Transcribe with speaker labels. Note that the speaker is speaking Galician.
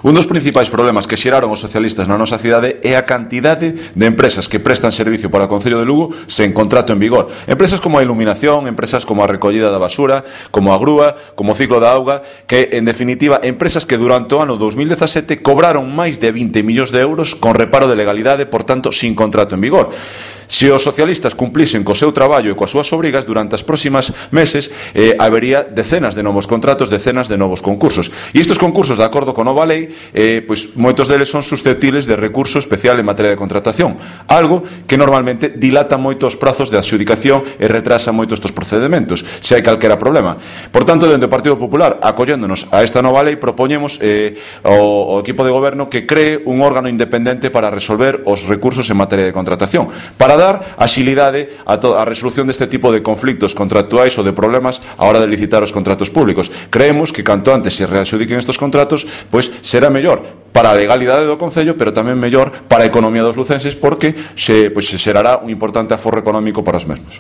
Speaker 1: Un dos principais problemas que xeraron os socialistas na nosa cidade é a cantidade de empresas que prestan servicio para o Concello de Lugo sen contrato en vigor. Empresas como a iluminación, empresas como a recollida da basura, como a grúa, como o ciclo da auga, que, en definitiva, empresas que durante o ano 2017 cobraron máis de 20 millóns de euros con reparo de legalidade, por tanto, sin contrato en vigor. Se os socialistas cumplisen co seu traballo e coas súas obrigas, durante as próximas meses habería decenas de novos contratos, decenas de novos concursos. E estes concursos, de acordo con nova lei, pois moitos deles son susceptibles de recurso especial en materia de contratación, algo que normalmente dilata moito os prazos de adxudicación e retrasa moito estes procedementos, se hai calquera problema. Por tanto, dentro do Partido Popular, acolléndonos a esta nova lei, propoñemos ao equipo de goberno que cree un órgano independente para resolver os recursos en materia de contratación, para dar axilidade a resolución deste tipo de conflictos contractuais ou de problemas a hora de licitar os contratos públicos. Creemos que canto antes se readxudiquen estes contratos, pois será mellor para a legalidade do Concello, pero tamén mellor para a economía dos lucenses, porque se xerará un importante aforro económico para os mesmos.